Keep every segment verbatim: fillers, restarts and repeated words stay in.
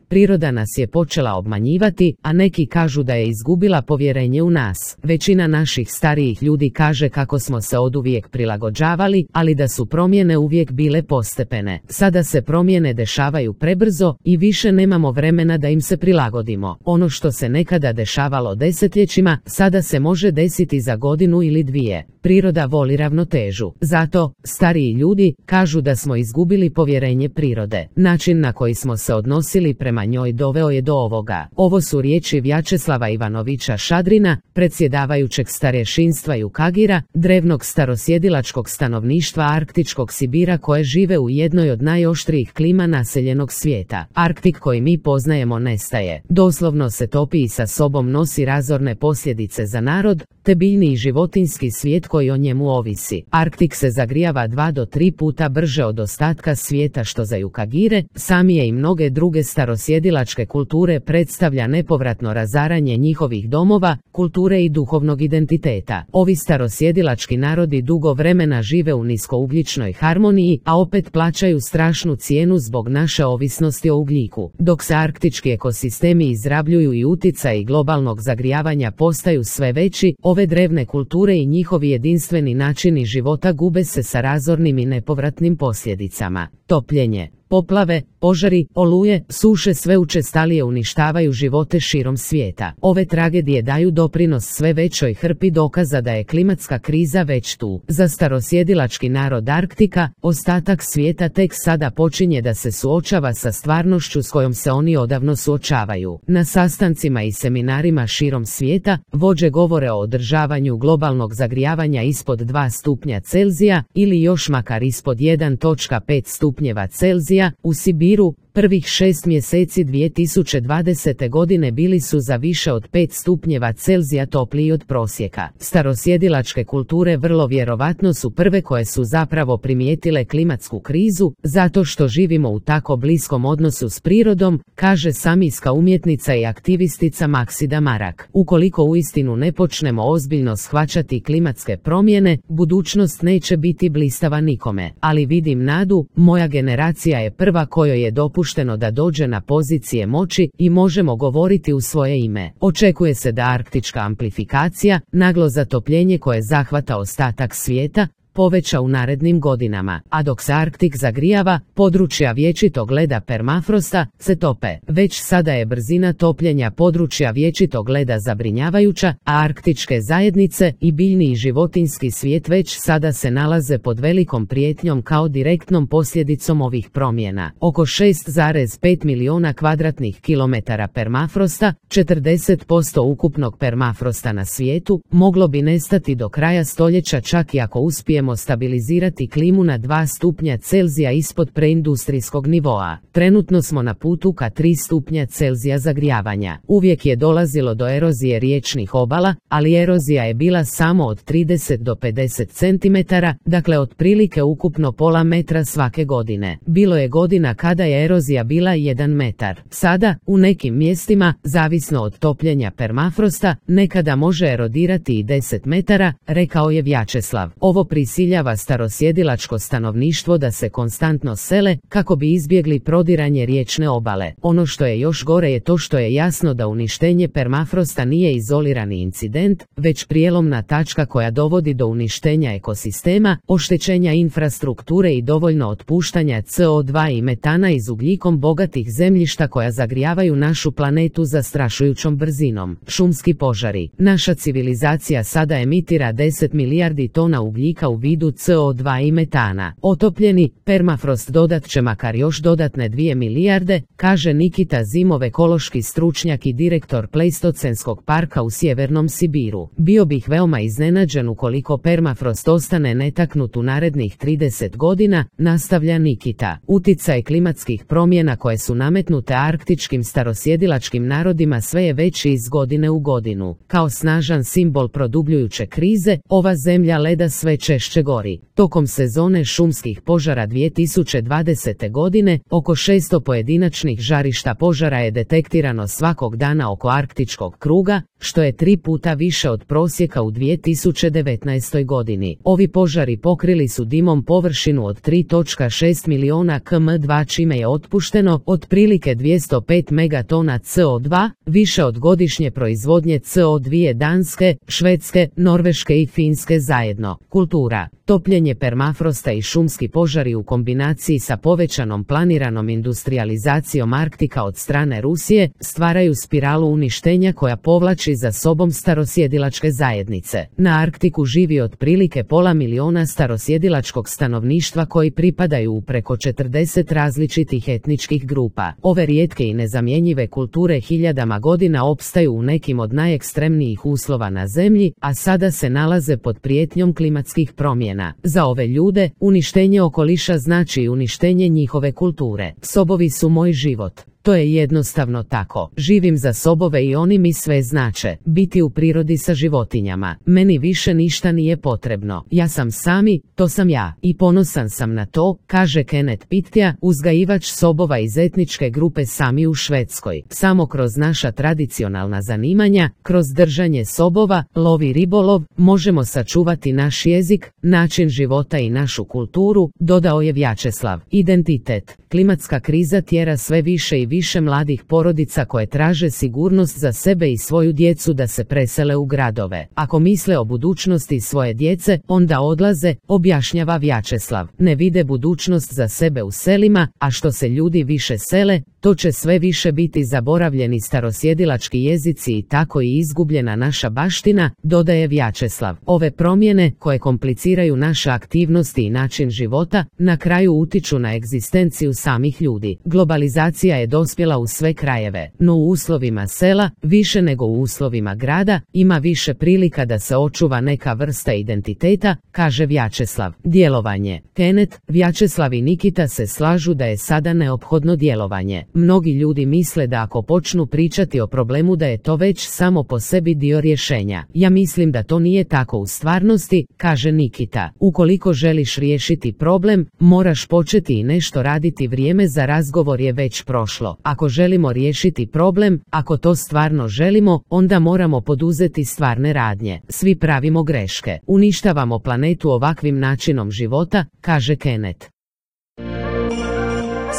Priroda nas je počela obmanjivati, a neki kažu da je izgubila povjerenje u nas. Većina naših starijih ljudi kaže kako smo se oduvijek prilagođavali, ali da su promjene uvijek bile postepene. Sada se promjene dešavaju prebrzo i više nemamo vremena da im se prilagodimo. Ono što se nekada dešavalo desetljećima, sada se može desiti za godinu ili dvije. Priroda voli ravnotežu. Zato, stariji ljudi kažu da smo izgubili povjerenje prirode. Način na koji smo se odnosili prema njoj doveo je do ovoga. Ovo su riječi Vjačeslava Ivanovića Šadrina, predsjedavajućeg starješinstva Jukagira, drevnog starosjedilačkog stanovništva arktičkog Sibira koje žive u jednoj od najoštrijih klima naseljenog svijeta. Arktik koji mi poznajemo nestaje. Doslovno se topi i sa sobom nosi razorne posljedice za narod, te biljni i životinjski svijet koji o njemu ovisi. Arktik se zagrijava dva do tri puta brže od ostatka svijeta što za Jukagire, samije i mnoge druge starosjedilačke kulture predstavlja nepovratno razaranje njihovih domova, kulture i duhovnog identiteta. Ovi starosjedilački narodi dugo vremena žive u niskougljičnoj harmoniji, a opet plaćaju strašnu cijenu zbog naše ovisnosti o ugljiku. Dok se arktički ekosistemi izrabljuju i utjecaji globalnog zagrijavanja postaju sve veći, ove drevne kulture i njihovi jedinstveni načini života gube se sa razornim i nepovratnim posljedicama. Topljenje, poplave, požari, oluje, suše sve učestalije uništavaju živote širom svijeta. Ove tragedije daju doprinos sve većoj hrpi dokaza da je klimatska kriza već tu. Za starosjedilački narod Arktika, ostatak svijeta tek sada počinje da se suočava sa stvarnošću s kojom se oni odavno suočavaju. Na sastancima i seminarima širom svijeta, vođe govore o održavanju globalnog zagrijavanja ispod dva stupnja Celzija ili još makar ispod jedan zarez pet stupnjeva Celzija. U Sibiru, prvih šest mjeseci dvije tisuće dvadesete godine bili su za više od pet stupnjeva Celzija topliji od prosjeka. Starosjedilačke kulture vrlo vjerovatno su prve koje su zapravo primijetile klimatsku krizu, zato što živimo u tako bliskom odnosu s prirodom, kaže samijska umjetnica i aktivistica Maksida Marak. Ukoliko uistinu ne počnemo ozbiljno shvaćati klimatske promjene, budućnost neće biti blistava nikome. Ali vidim nadu, moja generacija je prva kojoj je dopušteno da dođe na pozicije moći i možemo govoriti u svoje ime. Očekuje se da arktička amplifikacija, naglo zatopljenje koje zahvata ostatak svijeta, poveća u narednim godinama, a dok se Arktik zagrijava, područja vječitog leda permafrosta se tope. Već sada je brzina topljenja područja vječitog leda zabrinjavajuća, a arktičke zajednice i biljni i životinjski svijet već sada se nalaze pod velikom prijetnjom kao direktnom posljedicom ovih promjena. Oko šest zarez pet milijuna kvadratnih kilometara permafrosta, četrdeset posto ukupnog permafrosta na svijetu, moglo bi nestati do kraja stoljeća čak i ako uspijemo stabilizirati klimu na dva stupnja Celzija ispod preindustrijskog nivoa. Trenutno smo na putu ka tri stupnja Celzija zagrijavanja. Uvijek je dolazilo do erozije riječnih obala, ali erozija je bila samo od trideset do pedeset centimetara, dakle otprilike ukupno pola metra svake godine. Bilo je godina kada je erozija bila jedan metar. Sada, u nekim mjestima, zavisno od topljenja permafrosta, nekada može erodirati i deset metara, rekao je Vjačeslav. Ovo prisiljava starosjedilačko stanovništvo da se konstantno sele kako bi izbjegli prodiranje riječne obale. Ono što je još gore je to što je jasno da uništenje permafrosta nije izolirani incident, već prijelomna tačka koja dovodi do uništenja ekosistema, oštećenja infrastrukture i dovoljno otpuštanja C O dva i metana iz ugljikom bogatih zemljišta koja zagrijavaju našu planetu zastrašujućom brzinom. Šumski požari. Naša civilizacija sada emitira deset milijardi tona ugljika u vidu C O dva i metana. Otopljeni permafrost dodat će makar još dodatne dvije milijarde, kaže Nikita Zimov, ekološki stručnjak i direktor Pleistocenskog parka u sjevernom Sibiru. Bio bih veoma iznenađen ukoliko permafrost ostane netaknut u narednih trideset godina, nastavlja Nikita. Uticaj klimatskih promjena koje su nametnute arktičkim starosjedilačkim narodima sve je veći iz godine u godinu. Kao snažan simbol produbljujuće krize, ova zemlja leda sve češće češće gori. Tokom sezone šumskih požara dvije tisuće dvadesete. godine, oko šesto pojedinačnih žarišta požara je detektirano svakog dana oko arktičkog kruga, što je tri puta više od prosjeka u dvije tisuće devetnaestoj. godini. Ovi požari pokrili su dimom površinu od tri zarez šest miliona kilometara dva čime je otpušteno otprilike dvjesto pet megatona C O dva, više od godišnje proizvodnje C O dva Danske, Švedske, Norveške i Finske zajedno. Kultura. Topljenje permafrosta i šumski požari u kombinaciji sa povećanom planiranom industrijalizacijom Arktika od strane Rusije stvaraju spiralu uništenja koja povlači za sobom starosjedilačke zajednice. Na Arktiku živi otprilike pola miliona starosjedilačkog stanovništva koji pripadaju u preko četrdeset različitih etničkih grupa. Ove rijetke i nezamjenjive kulture hiljadama godina opstaju u nekim od najekstremnijih uslova na zemlji, a sada se nalaze pod prijetnjom klimatskih promjena. Za ove ljude, uništenje okoliša znači i uništenje njihove kulture. Sobovi su moj život. To je jednostavno tako. Živim za sobove i oni mi sve znače. Biti u prirodi sa životinjama. Meni više ništa nije potrebno. Ja sam sami, to sam ja. I ponosan sam na to, kaže Kenneth Pitja, uzgajivač sobova iz etničke grupe Sami u Švedskoj. Samo kroz naša tradicionalna zanimanja, kroz držanje sobova, lov i ribolov, možemo sačuvati naš jezik, način života i našu kulturu, dodao je Vjačeslav. Identitet. Klimatska kriza tjera sve više i više mladih porodica koje traže sigurnost za sebe i svoju djecu da se presele u gradove. Ako misle o budućnosti svoje djece, onda odlaze, objašnjava Vjačeslav. Ne vide budućnost za sebe u selima, a što se ljudi više sele, to će sve više biti zaboravljeni starosjedilački jezici i tako i izgubljena naša baština, dodaje Vjačeslav. Ove promjene, koje kompliciraju naše aktivnosti i način života, na kraju utiču na egzistenciju samih ljudi. Globalizacija je dospjela u sve krajeve, no u uslovima sela, više nego u uslovima grada, ima više prilika da se očuva neka vrsta identiteta, kaže Vjačeslav. Djelovanje. Kenneth, Vjačeslav i Nikita se slažu da je sada neophodno djelovanje. Mnogi ljudi misle da ako počnu pričati o problemu da je to već samo po sebi dio rješenja. Ja mislim da to nije tako u stvarnosti, kaže Nikita. Ukoliko želiš riješiti problem, moraš početi i nešto raditi. Vrijeme za razgovor je već prošlo. Ako želimo riješiti problem, ako to stvarno želimo, onda moramo poduzeti stvarne radnje. Svi pravimo greške. Uništavamo planetu ovakvim načinom života, kaže Kenneth.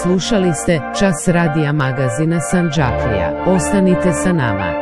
Slušali ste Čas radija magazina Sandžaklija. Ostanite sa nama.